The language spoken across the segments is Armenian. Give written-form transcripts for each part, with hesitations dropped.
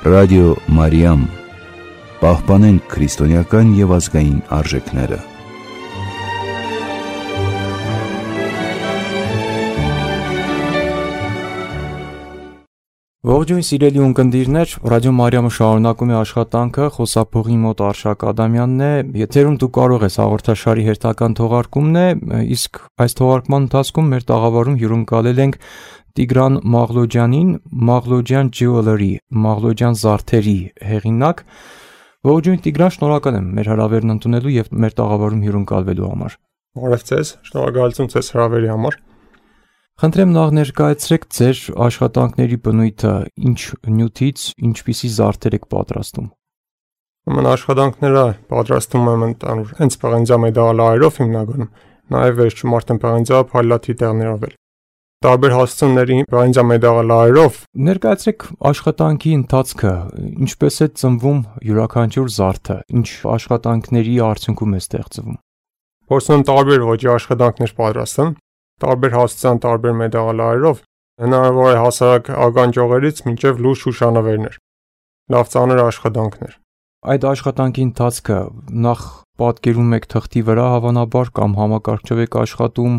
Ռադիո Մարիամ, պահպանենք քրիստոնեական և ազգային արժեքները։ Ողջույն սիրելի ունկնդիրներ, Ռադիո Մարիամը շարունակում է աշխատանքը, խոսափողի մոտ Արշակ Ադամյանն է, եթերում դու կարող ես հաղորդաշարի հերթական թողարկումն է, իսկ այս թողարկման ընթացքում մեր տաղավարում հյուրընկալել ենք Տիգրան Մաղլոջյանին, Մաղլոջյան Jewelry, Մաղլոջյան զարդերի հեղինակ։ Ողջույն Տիգրան, շնորհակալ եմ մեր հրավերն ընդունելու եւ մեր տաղավարում հյուրընկալվելու համար։ Բարև ձեզ, շնորհակալություն ձեզ հրավերի համար։ Խնդրեմ նախ ներկայացրեք ձեր աշխատանքների բնույթը, ինչ նյութից, ինչպիսի զարդեր եք պատրաստում։ Ուրեմն աշխատանքները պատրաստում եմ ընդհանուր հենց պղնձամետաղալարերով հիմնականում, նաև վերջում արդեն պղնձափայլատի տեղներով էլ։ Տարբեր հասցումների պղնձամետաղալարերով ներկայացրեք աշխատանքի ընթացքը, ինչպես է ծնվում յուրաքանչյուր զարդը, ինչ աշխատանքների արդյունքում է ստեղծվում։ Փորձում եմ տարբեր ոճի աշխատանքներ պատրաստեմ, տարբեր հասցության տարբեր մետաղալարերով, հնարավոր է հասարակ ականջողերից մինչև լուրջ հուշանվերներ, լավ ծանր աշխատանքներ։ Այդ աշխատանքի ընթացքը նախ պատկերում եք թղթի վրա հավանաբար կամ համակարգչով եք աշխատում։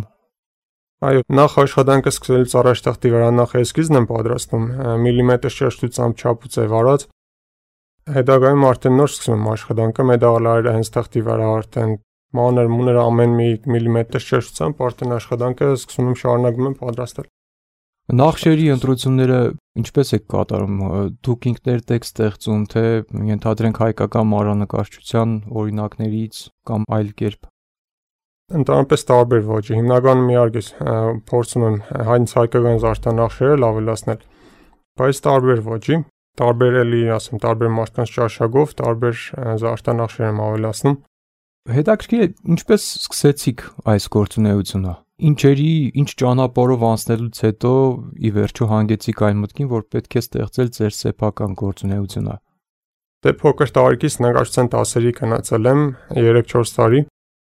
Այո, նախ աշխատանքը սկսելուց առաջ թղթի վրա նախ էսքիզն եմ պատրաստում, միլիմետր շեշտությամբ չափ ու ձև արած։ Հետագայում արդեն նոր սկսում եմ աշխատանքը, մետաղալարերը հենց թղթի վրա արդեն մանր ամեն մի միլիմետր շեշտությամբ արդեն աշխատանքը սկսում եմ շարունակում եմ պատրաստել։ Նախշերի ընտրությունները ինչպես եք կատարում։ Դուք ինքներդ եք ստեղծում, թե ենթադրենք հայկական մանրանկարչության օրինակներից կամ այլ կերպ։ Ընդհանրապես տարբեր ոճի։ Հիմնականում իհարկե փորձում եմ հայկական զարդանախշերը ավելացնել, բայց տարբեր ոճի, տարբեր էլի ասեմ, տարբեր մարդկանց ճաշակով, տարբեր զարդանախշեր եմ ավելացնում։ Հետաքրքիր է, ինչպես սկսեցիք այս գործունեությունը։ Ինչ ճանապարհով անցնելուց հետո ի վերջո հանգեցիք այն մտքին, որ պետք է ստեղծել ձեր սեփական գործունեությունը։ Դե փոքր տարիքից նկարչության դասերի գնացել եմ 3-4 տարի։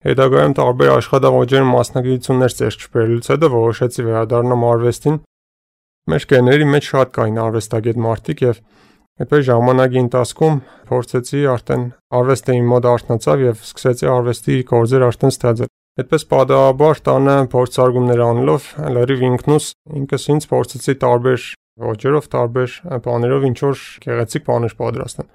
Հետագայում տարբեր աշխատավայրերում մասնագիտություններ ձեռք չբերելուց հետո որոշեցի վերադառնամ արվեստին։ Մեր գեների մեջ շատ կային արվեստագետ մարդիկ եւ այդպես ժամանակի ընթացքում փորձեցի արդեն արվեստը իմ մոտ արթնացավ եւ սկսեցի արվեստի գործեր արդեն ստեղծել։ Այդպես պատահաբար տանը փորձարկումներ անելով լրիվ ինքս ինձ փորձեցի տարբեր ոճերով, տարբեր բաներով ինչ որ գեղեցիկ բաներ պատրաստել։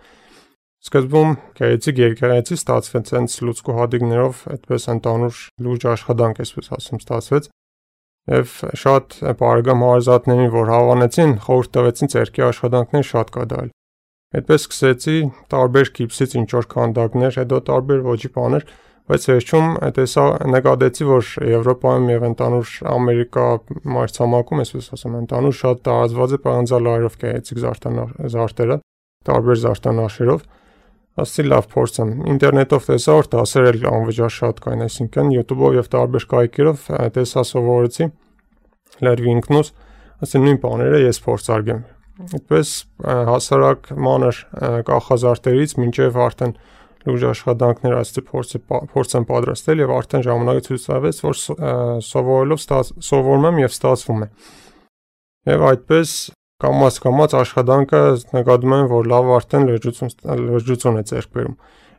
Սկզբում գեղեցիկ ստացվեց հենց լուցկու հատիկներով, այդպես ընդհանուր լուրջ աշխատանք այսպես ասում ստացվեց։ Եվ շատ բարեկամ հարազատներին, որ հավանեցին, խորհուրդ տվեցին ձեռքի աշխատանքներ շատ կատարել։ Այդպես սկսեցի տարբեր գիպսից ինչ որ քանդակներ, հետո տարբեր ոճի բաներ, բայց վերջում տեսա նկատեցի, որ Եվրոպայում եւ ընդհանուր Ամերիկա մայրցամաքում, այսպես ասեմ, ընդհանուր շատ տարածված է պղնձալարերով գեղեցիկ զարդերը, տարբեր զարդանախշերով։ Ասեցի լավ փորձեմ։ Ինտերնետով տեսա, որ դասեր էլ անվճար շատ կային, այսինքն YouTube-ով եւ տարբեր կայքերով տեսա սովորեցի լրիվ ինքնուս, ասեցի նույն բաները ես փորձարկեմ։ Այդպես հասարակ մանր կախազարդերից մինչև արդեն լուրջ աշխատանքներ ասեցի փորձեմ պատրաստել եւ արդեն ժամանակը ցույց տվեց, որ սովորում եմ եւ ստացվում է։ Եվ այդպես կամաց աշխատանքը նկատում եմ, որ լավ արդեն լրջություն է ձեռք բերում։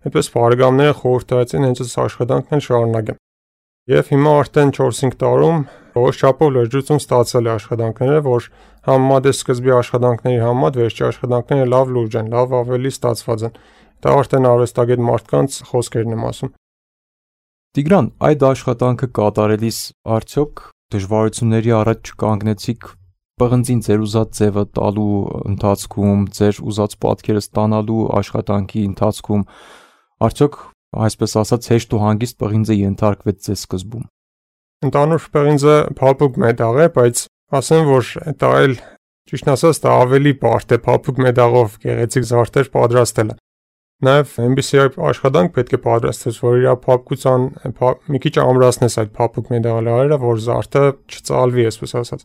Այդպես բարեկամները խորհուրդ տվեցին հենց այս աշխատանքն շարունակեմ։ Եվ հիմա արդեն 4-5 տարում որոշ չափով լրջություն ստացել է աշխատանքները, որ համեմատ սկզբի աշխատանքների համեմատ վերջի աշխատանքները լավ լուրջ են, լավ ավելի ստացված են։ Դա արդեն արվեստագետ մարդկանց խոսքերն եմ ասում։ Տիգրան, այդ աշխատանքը կատարելիս արդյոք դժվարությունների առաջ չկանգնեցիք պղնձին ձեր ուզած ձևը տալու ընթացքում, ձեր ուզած պատկերը ստանալու աշխատանքի ընթացքում, արդյոք այսպես ասած հեշտ ու հանգիստ պղինձը ենթարկվեց ձեզ սկզբում։ Ընդհանուր պղինձը փափուկ մետաղ է, բայց ասեմ, որ դա էլ ճիշտն ասած դա ավելի բարդ է փափուկ մետաղով գեղեցիկ զարդեր պատրաստելը։ Նաև այնպիսի աշխատանք պետք է պատրաստես, որ իր փափկության մի քիչ ամրացնես այդ փափուկ մետաղալարերը, որ զարդը չծալվի, այսպես ասած։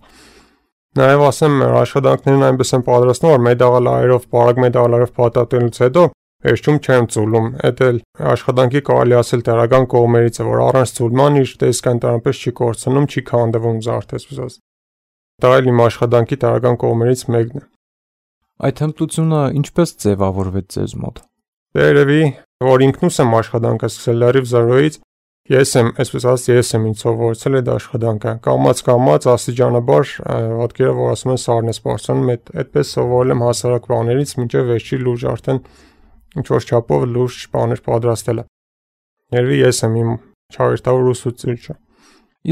Նաև ասեմ, աշխատանքներն այնպես են պատրաստում, որ մետաղալարերով, բարակ մետաղալարերով փաթաթելուց հետո վերջում չեմ ծուլում։ Այդ էլ աշխատանքի կարելի ասել դրական կողմերից է, որ առանց ծուլման իր տեսքը ընդհանրապես չի կորցնում, չի քանդվում զարդը, այսպես ասած։ Դա էլ իմ աշխատանքի դրական կողմերից մեկն է։ Այդ հմտությունը ինչպես ձևավորվեց ձեզ մոտ։ Երևի որ ինքնուս եմ աշխատանքը սկսել լրիվ զրոյից, ես եմ ինձ սովորեցել այդ աշխատանքը, կամաց աստիճանաբար ոտքերը որ ասում են սառն է սպառնում, այդպես սովորել եմ հասարակ բաներից մինչև վերջի լուրջ արդեն ինչ որ չափով լուրջ բաներ պատրաստելը։ Երևի ես եմ իմ չարիստավոր ուսուցիչը։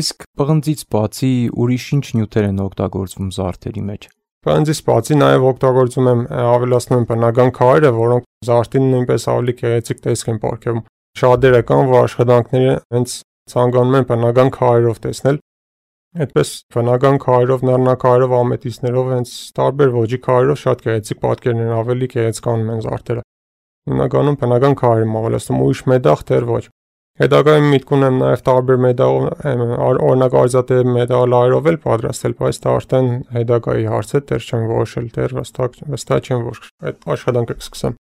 Իսկ պղնձից բացի ուրիշ ինչ նյութեր են օգտագործվում զարդերի մեջ։ Պղնձից բացի նաև օգտագործում եմ ավելացնում եմ բնական քարերը, որոնք զարդին նույնպես ավելի գեղեցիկ տեսք են պարգևում։ Շատերը կան, որ աշխատանքները հենց ցանկանում են բնական քարերով տեսնել։ Այդպես բնական քարերով, նռնակարերով, ամետիստներով, հենց տարբեր ոճի քարերով շատ գեղեցիկ պատկերներ են, ավելի գեղեցկանում են զարդերը։ Հիմնականում բնական քարեր եմ ավելացնում, ուրիշ մետաղ դեռ ոչ։ Հետագայում միտք ունեմ նաև տարբեր մետաղ, օրինակ արծաթե մետաղալարերով էլ պատրաստել, բայց դա արդեն հետագայի հարց է, դեռ չեմ որոշել, դեռ վստահ չեմ, որ այդ աշխատանքը կսկսեմ։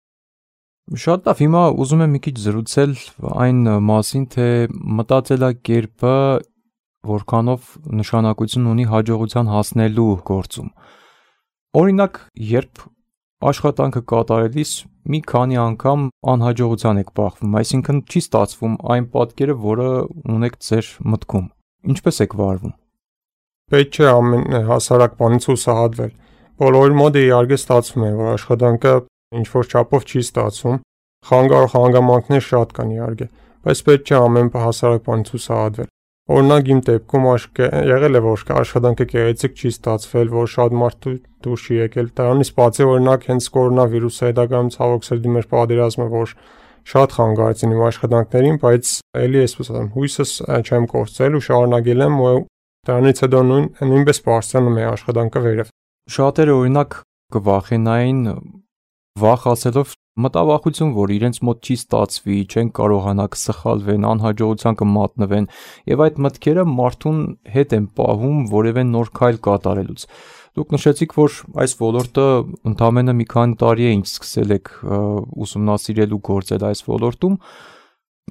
Շատ լավ, հիմա ուզում եմ մի քիչ զրուցել այն մասին, թե մտածելակերպը որքանով նշանակություն ունի հաջողության հասնելու գործում։ Օրինակ, երբ աշխատանքը կատարելիս մի քանի անգամ անհաջողության եք բախվում, այսինքն չի ստացվում այն պատկերը, որը ունեք ձեր մտքում։ Ինչպես եք վարվում։ Պետք չէ ամեն հասարակ բանից հուսահատվել։ Բոլորի մոտ իհարկե ստացվում է, որ աշխատանքը ինչ-որ չափով չի ստացվում։ Խանգարող հանգամանքներ շատ կան իհարկե, բայց պետք չէ ամեն հասարակ բանից հուսահատվել։ Օրինակ իմ դեպքում եղել է, որ աշխատանքը գեղեցիկ չի ստացվել, որ շատ մարդ դուրս չի եկել։ Դրանից բացի օրինակ հենց կորոնավիրուսը հետագայում ցավոք սրտի մեր պատերազմը, որ շատ խանգարեցին իմ աշխատանքներին, բայց էլի այսպես ասեմ, հույսս չեմ կորցրել ու շարունակել եմ, ու դրանից հետո նույնպես բարձրանում է աշխատանքը վերև։ Շատերը օրինակ կվախենային վախ ասելով մտավախություն, որ իրենց մոտ չի ստացվի, չեն կարողանա կսխալվեն, անհաջողության կմատնվեն, եւ այդ մտքերը մարդուն հետ են պահում որևէ նոր քայլ կատարելուց։ Դուք նշեցիք, որ այս ոլորտը ընդամենը մի քանի տարի է ինչ սկսել եք ուսումնասիրել ու գործել այս ոլորտում,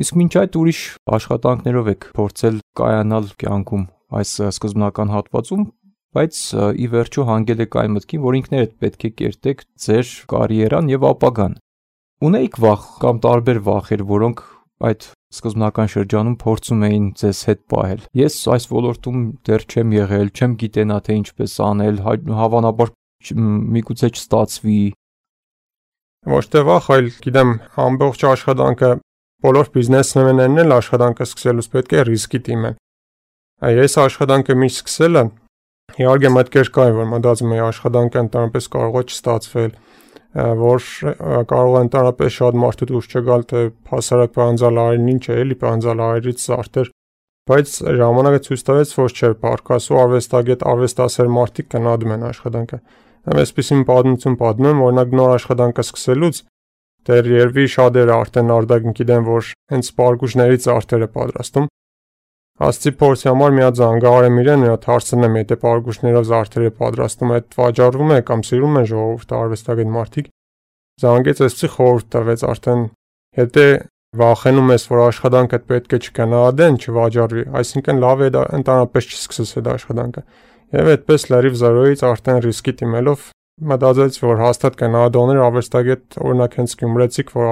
իսկ մինչ այդ ուրիշ աշխատանքներով եք փորձել կայանալ կյանքում այս սկզբնական հատվածում, բայց ի վերջո հանգել եք այն մտքին, որ ինքներդ պետք է կերտեք ձեր կարիերան եւ ապագան։ Ունեիք վախ կամ տարբեր վախեր, որոնք այդ սկզբնական շրջանում փորձում էին ձեզ հետ պահել։ Ես այս ոլորտում դեռ չեմ եղել, չեմ գիտենա թե ինչպես անել, հավանաբար միգուցե չստացվի։ Ոչ թե վախ, այլ գիտեմ, ամբողջ աշխատանքը բոլոր բիզնեսմեններն էլ աշխատանքը սկսելուց պետք է ռիսկի դիմեն։ Ես աշխատանքը միշտ սկսելը իհարկե մտքեր կային, որ մտածում էի աշխատանքը ընդհանրապես կարող է չստացվել, որ կարող է ընդհանրապես շատ մարդու դուրս չգալ, թե հասարակ պանձալարին ինչ է, էլի պանձալարից զարդեր, բայց ժամանակը ցույց տվեց, որ չէ, պարկասու արվեստագետ, արվեստասեր մարդիկ գնահատում են աշխատանքը։ Այսպեսին պատմություն պատմեմ, օրինակ նոր աշխատանքը սկսելուց դեռ երևի շատերը արդեն արդեն գիտեն, որ հենց պարկուշներից զարդեր է պատրաստում։ Աստծի փորձի համար մի հատ զանգահարեմ իրեն, մի հատ հարցնեմ, եթե պարկուշներով զարդեր է պատրաստում, այդ վաճառվում է կամ սիրում են ժողովուրդը արվեստագետ մարդիկ։ Զանգեց այսպեսի խորհուրդ տվեց արդեն, եթե վախենում ես, որ աշխատանքդ պետք է չգնահատեն, չվաճառվի, այսինքն լավ է դա ընդհանրապես չսկսես այդ աշխատանքը։ Եվ այդպես լրիվ զրոյից արդեն ռիսկի դիմելով մտածեց, որ հաստատ գնահատողներ արվեստագետ, օրինակ հենց գյումրեցիք, որ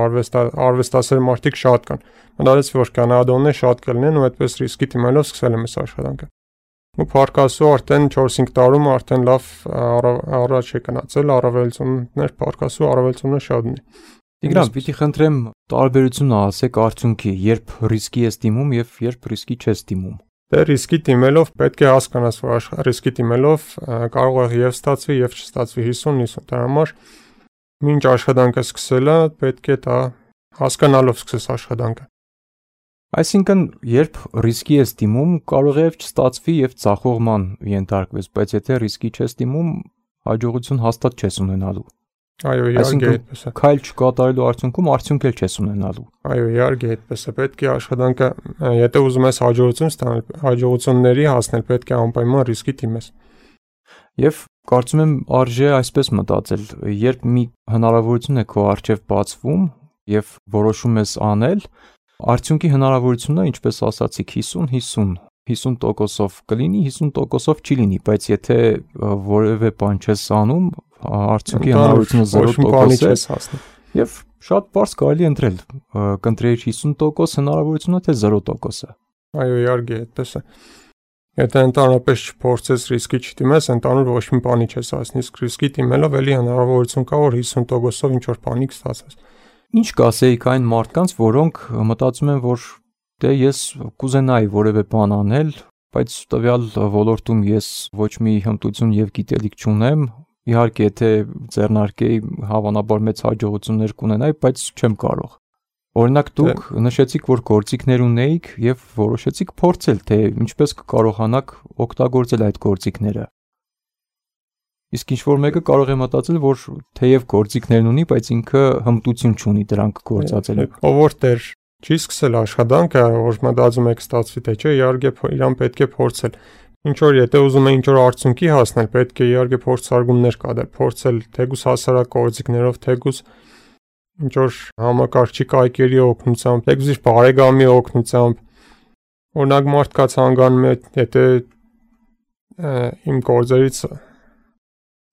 արվեստասեր մարդիկ շատ կան։ Մտածեց, որ գնահատողներ շատ կլինեն ու այդպես ռիսկի դիմելով սկսել եմ այս աշխատանքը։ Ու փարկասու արդեն 4-5 տարում արդեն լավ առաջ է գնացել, առավելություններ, փարկասու առավելությունները շատ ունի։ Տիգրան, պիտի խնդրեմ տարբերությունը ասեք արդյունքի, երբ ռիսկի ես դիմում եւ երբ ռիսկի չես դիմում։ Դե ռիսկի դիմելով պետք է հասկանաս, որ ռիսկի դիմելով կարող է եւ ստացվի եւ չստացվի 50-50, դրա համար մինչ աշխատանքը սկսելը պետք է դա հասկանալով սկսես աշխատանքը։ Այսինքն, երբ ռիսկի ես դիմում, կարող է չստացվի եւ ցախողման ենթարկվես, բայց եթե ռիսկի չես դիմում, հաջողություն հաստատ չես ունենալու։ Այո, իհարկե այդպես է։ Քայլ չկատարելու արդյունքում արդյունք էլ չես ունենալու։ Այո, իհարկե այդպես է։ Պետք է աշխատանքը, եթե ուզում ես հաջողություն ստանալ, հաջողությունների հասնել, պետք է անպայման ռիսկի դիմես։ Եվ կարծում եմ արժե այսպես մտածել, երբ մի հնարավորություն է քո առջև բացվում եւ որոշում ես անել, արդյունքի հնարավորությունը, ինչպես ասացիք, 50%-ով կլինի, 50%-ով չի լինի, բայց եթե որևէ բան չես անում, արդյունքի հնարավորությունը 0% է, եւ շատ բարձ կարելի ընտրել, կընտրեիր 50% հնարավորությունը, թե 0%-ը։ Այո, իհարկե, այդպես է։ Եթե ընդհանրապես չփորձես ռիսկի չդիմես, ընդհանուր ոչ մի բանի չես հասնի, իսկ ռիսկի դիմելով էլի հնարավորություն կա, որ 50%-ով ինչ-որ բանի կստացես։ Ինչ կասեիք այն մարդկանց, որոնք մտածում են, որ դե ես կուզենայի որևէ բան անել, բայց տվյալ ոլորտում ես ոչ մի հմտություն եւ գիտելիք չունեմ, իհարկե եթե ձեռնարկեի հավանաբար մեծ հաջողություններ կունենայի, բայց չեմ կարող։ Օրինակ դուք նշեցիք, որ գործիքներ ունեիք եւ որոշեցիք փորձել, թե ինչպես կկարողանաք օգտագործել այդ գործիքները։ Իսկ ինչ որ մեկը կարող է մտածել, որ թեև գործիքներն ունի, բայց ինքը հմտություն չունի դրանք գործածելու։ Ով որ դեռ չի սկսել աշխատանքը, որ մտածում եք ստացվի թե չէ, իհարկե իրան պետք է փորձել։ Ինչ որ եթե ուզում է ինչ որ արդյունքի հասնել, պետք է իհարկե փորձարկումներ կատարել, փորձել թեկուզ հասարակ գործիքներով, թեկուզ ինչ որ համակարգչի կայքերի օգնությամբ, թեկուզ իր բարեկամի օգնությամբ։ Օրինակ մարդ կա ցանկանում է, եթե իմ գործերից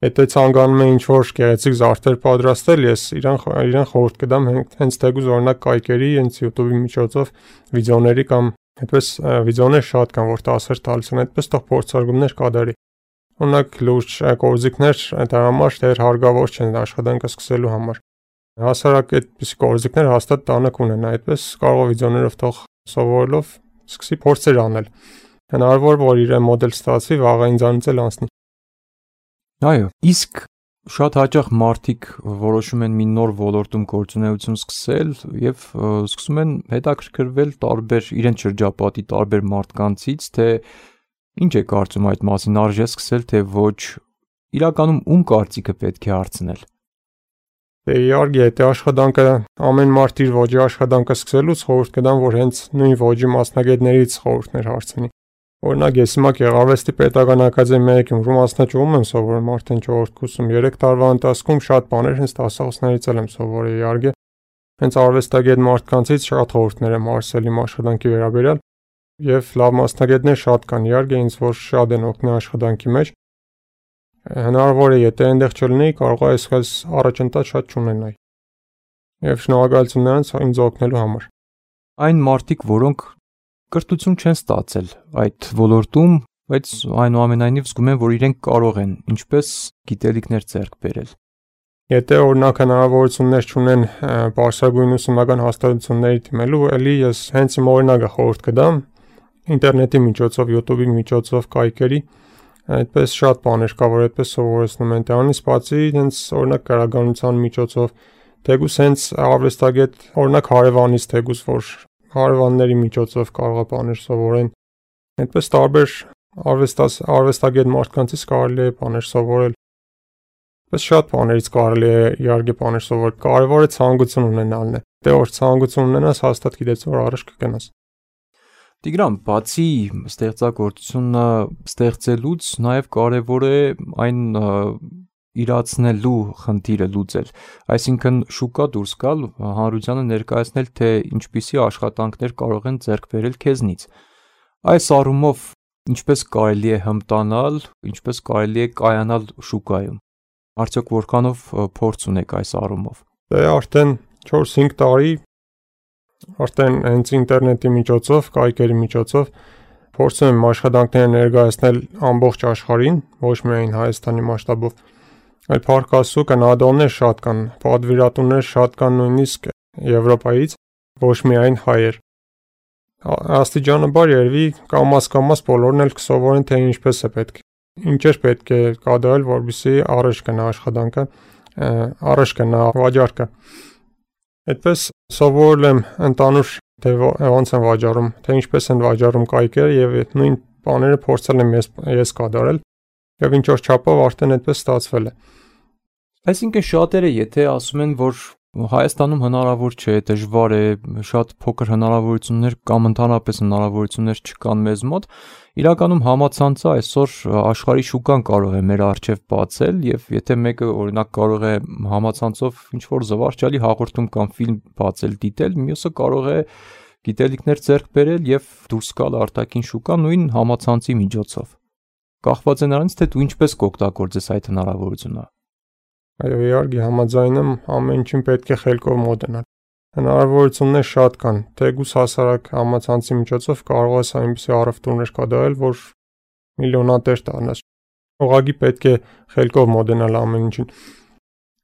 եթե ցանկանում է ինչ որ գեղեցիկ զարդեր պատրաստել, ես իրան խորհուրդ կտամ հենց թեկուզ օրինակ կայքերի, հենց YouTube-ի միջոցով վիդեոների կամ այդպես վիդեոներ շատ կան, որ դասեր տալիս են, այդպես թող փորձարկումներ կատարի։ Օրինակ լուրջ գործիքներ դա համար դեռ հարկավոր չեն աշխատանքը սկսելու համար։ Հասարակ այդպես գործիքներ հաստատ տանը կունենա, այդպես կարող է վիդեոներով թող սովորելով սկսի փորձեր անել։ Հնարավոր որ իր մոդել ստացվի, վաղը ինձանից էլ անցնի։ Այո, իսկ շատ հաճախ մարդիկ որոշում են մի նոր ոլորտում գործունեություն սկսել եւ սկսում են հետաքրքրվել տարբեր իրենց շրջապատի տարբեր մարդկանցից, թե ինչ է կարծում այդ մասին, արժե սկսել, թե ոչ, իրականում ում կարծիքը պետք է հարցնել։ Դե իհարկե, եթե աշխատանքը ամեն մարդ իր ոճի աշխատանքը սկսելուց խորհուրդ կտամ, որ հենց նույն ոճի մասնագետներից խորհուրդներ հարցնի։ Օրինակ ես հիմա Գեղարվեստի պետական ակադեմիայի Գյումրու մասնաճյուղում եմ սովորում արդեն 4-րդ կուրսում, 3 տարվա ընթացքում շատ բաներ հենց դասախոսներից եմ սովորել իհարկե։ Հենց արվեստագետ մարդկանցից շատ խորհուրդներ եմ հարցել իմ աշխատանքի վերաբերյալ եւ լավ մասնագետներ շատ կան իհարկե, ինձ որ շատ են օգնել աշխատանքի մեջ։ Հնարավոր է եթե այնտեղ չլինեի, կարող է այսպես առաջընթաց շատ չունենայի։ Եվ շնորհակալություն նրանց ինձ օգնելու համար։ Այն մարդիկ, որոնք կրթություն չեն ստացել այդ ոլորտում, բայց այնուամենայնիվ զգում են, որ իրենք կարող են ինչպես գիտելիքներ ձեռք բերել։ Եթե օրինակ հնարավորություններ չունեն բարձրագույն ուսումնական հաստատությունների դիմելու, ելի ես հենց իմ օրինակը խորհուրդ կտամ ինտերնետի միջոցով, YouTube-ի միջոցով, կայքերի, այդպես շատ բաներ կա, որ այդպես սովորեցնում են։ Դրանից բացի հենց օրինակ գրականության միջոցով, թեկուզ հենց արվեստագետ, օրինակ հարևանից թեկուզ որ հարևանների միջոցով կարող է բաներ սովորեն։ Այդպես տարբեր արվեստագետ մարդկանցից կարելի է բաներ սովորել։ Բայց շատ բաներից կարելի է իհարկե բաներ սովորել։ Կարևորը ցանկություն ունենալն է։ Դե որ ցանկություն ունենաս, հաստատ գիտես որ առաջ կգնաս։ Տիգրան, բացի ստեղծագործությունը ստեղծելուց, նաև կարևոր է այն իրացնելու խնդիրը լուծել, այսինքն շուկա դուրս գալ, հանրությանը ներկայացնել, թե ինչպիսի աշխատանքներ կարող են ձեռք բերել քեզնից։ Այս առումով ինչպես կարելի է հմտանալ, ինչպես կարելի է կայանալ շուկայում։ Արդյոք որքանով փորձ ունեք այս առումով։ Դե արդեն 4-5 տարի արդեն հենց ինտերնետի միջոցով, կայքերի միջոցով փորձում եմ աշխատանքները ներկայացնել ամբողջ աշխարհին, ոչ միայն Հայաստանի մասշտաբով, այլ փառք Աստծո կանադոներ շատ կան, պատվիրատուներ շատ կան նույնիսկ Եվրոպայից, ոչ միայն հայեր։ Աստիճանաբար երևի կամաց բոլորն էլ կսովորեն թե ինչպես է պետք։ Ինչեր պետք է կատարել, որպեսզի առաջ գնա աշխատանքը, առաջ գնա վաճառքը։ Այդպես սովորել եմ ընդանուր թե ոնց են վաճառում, թե ինչպես են վաճառում կայքերը եւ այդ նույն բաները փորձել եմ ես կատարել եւ ինչ որ չափով արդեն այդպես ստացվել է։ Այսինքն շատերը եթե ասում են, որ Հայաստանում հնարավոր չէ, դժվար է, շատ փոքր հնարավորություններ կամ ընդհանրապես հնարավորություններ չկան մեզ մոտ, իրականում համացանցը այսօր աշխարհի շուկան կարող է մեր առջև բացել եւ եթե մեկը օրինակ կարող է համացանցով ինչ-որ զվարճալի հաղորդում կամ ֆիլմ բացել, դիտել, մյուսը կարող է գիտելիքներ ձեռք բերել եւ դուրս գալ արտաքին շուկա նույն համացանցի միջոցով։ Կախված է նրանից, թե դու ինչպես կօգտագործես այդ հնարավորությունը։ Այո, իհարկե համաձայն եմ, ամեն ինչին պետք է խելքով մոտենալ։ Հնարավորություններ շատ կան, թեկուզ հասարակ համացանցի միջոցով կարող ես այնպիսի առևտուրներ կատարել, որ միլիոնատեր դառնաս։ Ուղղակի պետք է խելքով մոտենալ ամեն ինչին։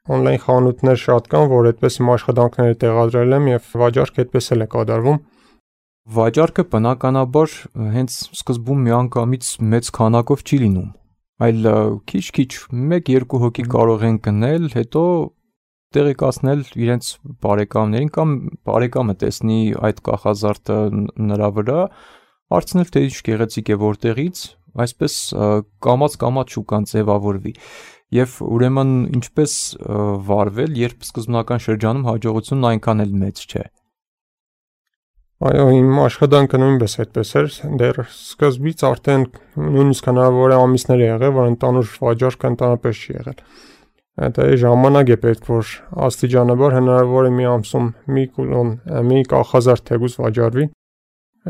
Օնլայն խանութներ շատ կան, որ այդպես իմ աշխատանքները տեղադրել եմ եւ վաճառք այդպես էլ է կատարվում։ Վաճառքը բնականաբար հենց սկզբում միանգամից մեծ քանակով չի լինում, այլ քիչ-քիչ 1-2 հոգի կարող են գնել, հետո տեղեկացնել իրենց բարեկամներին կամ բարեկամը տեսնի այդ կախազարդը նրա վրա, հարցնել թե ինչ գեղեցիկ է որտեղից, այսպես կամաց-կամաց շուկան ձևավորվի։ Եվ ուրեմն ինչպես վարվել, երբ սկզբնական շրջանում հաջողությունն այնքան էլ մեծ չէ։ Այո, իմ աշխատանքը նույնպես այդպես էր, դեռ սկզբից արդեն նույնիսկ հնարավոր է ամիսներ եղել, որ ընդանուր վաճառքը ընդհանրապես չի եղել։ Դա ժամանակ է պետք, որ աստիճանաբար հնարավոր է մի ամսում մի կախազարդ թեկուզ վաճառվի։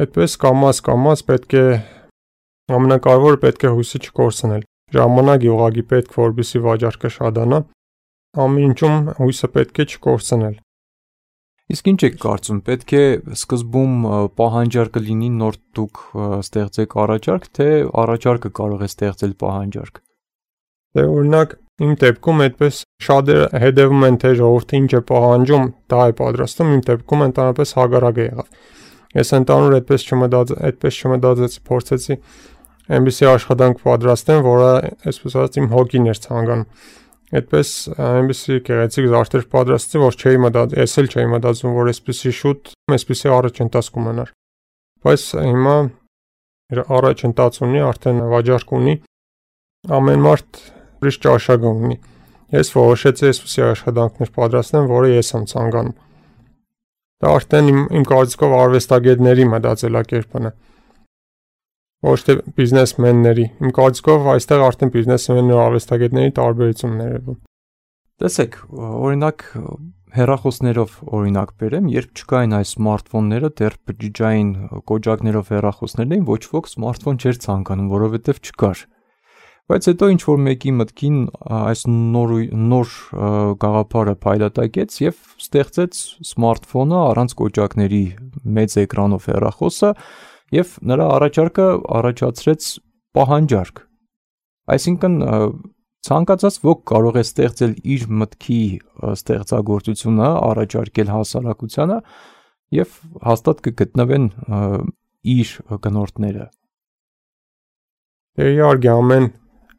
Այդպես կամաց պետք է ամենակարևորը պետք է հույսը չկորցնել։ Ժամանակի ուղղակի պետք, որպեսզի վաճառքը շատանա, ամեն ինչում հույսը պետք է չկորցնել։ Իսկ ինչ եք կարծում, պետք է սկզբում պահանջարկը լինի նոր դուք ստեղծեք առաջարկ, թե առաջարկը կարող է ստեղծել պահանջարկ։ Դե օրինակ իմ դեպքում այդպես շատերը հետևում են թե ժողովուրդը ինչ է պահանջում, դա է պատրաստում, իմ դեպքում ընդհանրապես հակառակը եղավ։ Ես ընդհանուր այդպես չմտածեցի, փորձեցի այնպիսի աշխատանք պատրաստեմ, որը այսպես ասած իմ հոգին էր ցանկանում։ Այդպես այնպիսի գեղեցիկ զարդեր պատրաստեցի, որ ես էլ չէի մտածում, որ այսպիսի շուտ, այսպիսի առաջընթաց կունենար։ Բայց հիմա առաջընթաց ունի, արդեն վաճառք ունի, ամեն մարդ ուրիշ ճաշակ ունի։ Ես որոշեցի այսպիսի աշխատանքներ պատրաստեմ, որը ես եմ ցանկանում։ Դա արդեն իմ կարծիքով արվեստագետների մտածելակերպն է։ Ոչ թե բիզնեսմենների։ Իմ կարծիքով այստեղ արդեն բիզնեսմենների ու արվեստագետների տարբերություններ են։ Տեսեք, օրինակ հեռախոսներով օրինակ բերեմ, երբ չկային այս սմարթֆոնները, դեռ բջջային կոճակներով հեռախոսներն էին, ոչ ոք սմարթֆոն չէր ցանկանում, որովհետև չկար։ Բայց հետո ինչ որ մեկի մտքին այս նոր գաղափարը փայլատակեց եւ ստեղծեց սմարթֆոնը առանց կոճակների մեծ էկրանով հեռախոսը եւ նրա առաջարկը առաջացրեց պահանջարկ։ Այսինքն ցանկացած ոք կարող է ստեղծել իր մտքի ստեղծագործությունը, առաջարկել հասարակությանը եւ հաստատ կգտնվեն իր գնորդները։ Դե իհարկե ամեն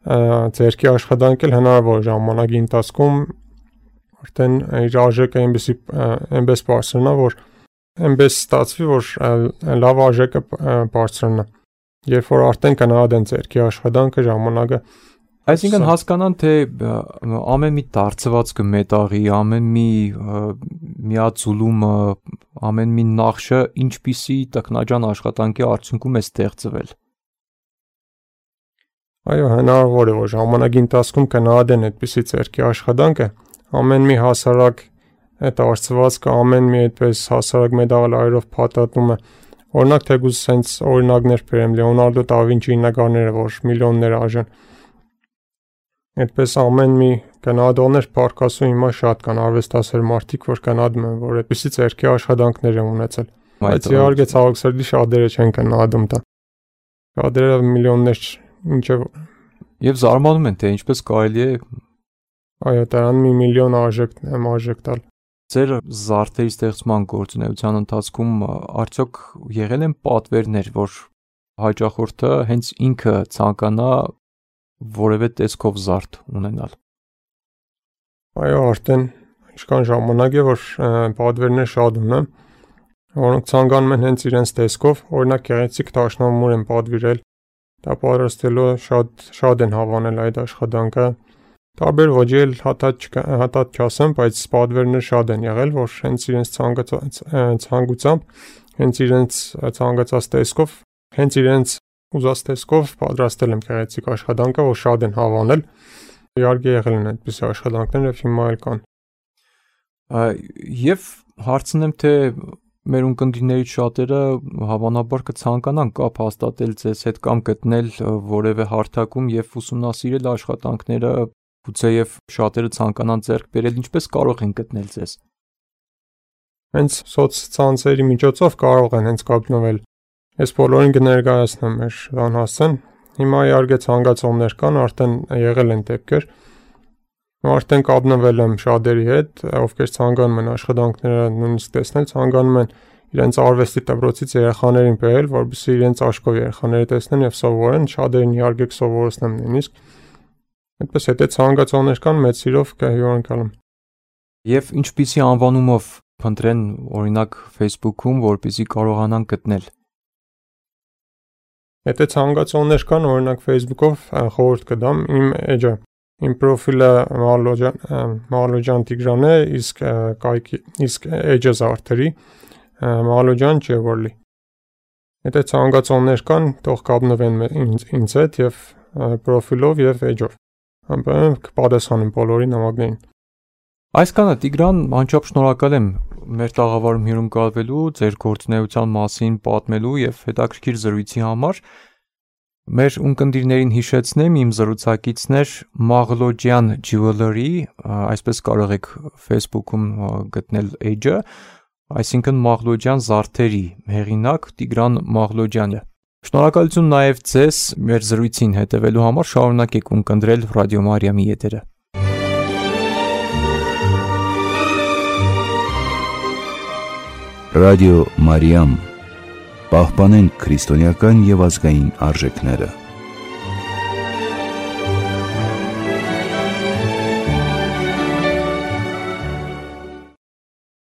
ձերքի աշխատանք էլ հնարավոր ժամանակի ընթացքում արդեն իր արժեքը այնպես բարձրանա, որ այնպես ստացվի, որ լավ արժեքը բարձրանա։ Երբ որ արդեն կնահատեն ձերքի աշխատանքը ժամանակը, այսինքն հասկանան, թե ամեն մի դարձվածքը մետաղի, ամեն մի միաձուլումը, ամեն մի նախշը ինչպիսի տքնաջան աշխատանքի արդյունքում է ստեղծվել։ Այո, հնարավոր է, որ ժամանակի ընթացքում կնահատեն այդպիսի ձերքի աշխատանքը, ամեն մի հասարակ դարձվածքը, ամեն մի այդպես հասարակ մեդալայով փաթաթումը, օրինակ թեկուզ sense օրինակներ բերեմ, Լեոնարդո դա Վինչիի նկարները, որ միլիոններ արժեն։ Այդպես ամեն մի գնահատողներ պարկասում հիմա շատ կան արվեստասեր մարդիկ, որ գնահատում են, որ այդպիսի ձերքի աշխատանքներ են ունեցել։ Բայց իհարկե ցավոք սրտի շատերը չեն գնահատում դա։ Շատերը միլիոններ ինչեւ եւ զարմանում են, թե ինչպես կարելի է այո, դրան մի միլիոն արժեք տալ։ Ձեր զարդերի ստեղծման գործունեության ընթացքում արդյոք եղել են պատվերներ, որ հաճախորդը հենց ինքը ցանկանա որևէ տեսքով զարդ ունենալ։ Այո, արդեն ինչքան ժամանակ է, որ պատվերներ շատ ունեմ, որոնք ցանկանում են հենց իրենց տեսքով, օրինակ գեղեցիկ դաշնամուր են պատվիրել, դա պատրաստելու շատ են հավանել այդ աշխատանքը։ Տարբեր ոճի էլ հատած չասեմ, բայց պատվերներ շատ են եղել, որ հենց իրենց ցանկությամբ, հենց իրենց ցանկացած տեսքով, հենց իրենց ուզած տեսքով պատրաստել եմ գեղեցիկ աշխատանքը, որ շատ են հավանել։ Իհարկե եղել են այդպիսի աշխատանքներ եւ հիմա էլ կան։ Եվ հարցնեմ, թե մեր ունկնդիրներից շատերը հավանաբար կցանկանան կապ հաստատել ձեզ հետ կամ գտնել որևէ հարթակում եւ ուսումնասիրել աշխատանքները գուցեև շատերը ցանկանան ձեռք բերել, ինչպես կարող են գտնել ձեզ։ Հենց սոցցանցերի միջոցով կարող են հենց կապնվել։ Ես բոլորին կներկայացնեմ մեր անհասցեն։ Հիմա իհարկե ցանկացողներ կան, արդեն եղել են դեպքեր։ Արդեն կապնվել եմ շատերի հետ, ովքեր ցանկանում են աշխատանքները նույնիսկ տեսնել, ցանկանում են իրենց արվեստի դպրոցից երեխաներին բերել, որպեսզի իրենց աչքով երեխաները տեսնեն եւ սովորեն, շատերին իհարկե կսովորեցնեմ նույնիսկ։ Այդպես հետո ցանկացողներ կան, մեծ սիրով կհյուրընկալեմ։ Եվ ինչպիսի անվանումով փնտրեն, օրինակ Facebook-ում, որպեսզի կարողանան գտնել։ Եթե ցանկացողներ կան, օրինակ Facebook-ով խորհուրդ կդամ իմ էջը։ Իմ պրոֆիլը Մաղլոջյան Տիգրան է, իսկ էջը Զարթերի Մաղլոջյան Ջևորլի։ Եթե ցանկացողներ կան, թող կապնվեն ինձ հետ եւ պրոֆիլով եւ էջով։ Ամեն կպատասխանեմ բոլորի նամակներին։ Այսքանը Տիգրան, անչափ շնորհակալ եմ մեր տաղավարում հյուրընկալվելու, ձեր գործունեության մասին պատմելու եւ հետաքրքիր զրույցի համար։ Մեր ունկնդիրներին հիշեցնեմ, իմ զրուցակիցն էր Մաղլոջյան Jewelry, այսպես կարող եք Facebook-ում գտնել էջը, այսինքն Մաղլոջյան Զարթերի հեղինակ Տիգրան Մաղլոջյանը։ Շնորհակալություն նաև ձեզ մեր զրույցին հետևելու համար, շարունակեք ունկնդրել Ռադիո Մարիամի եթերը։ Ռադիո Մարիամ, պահպանենք քրիստոնեական եւ ազգային արժեքները։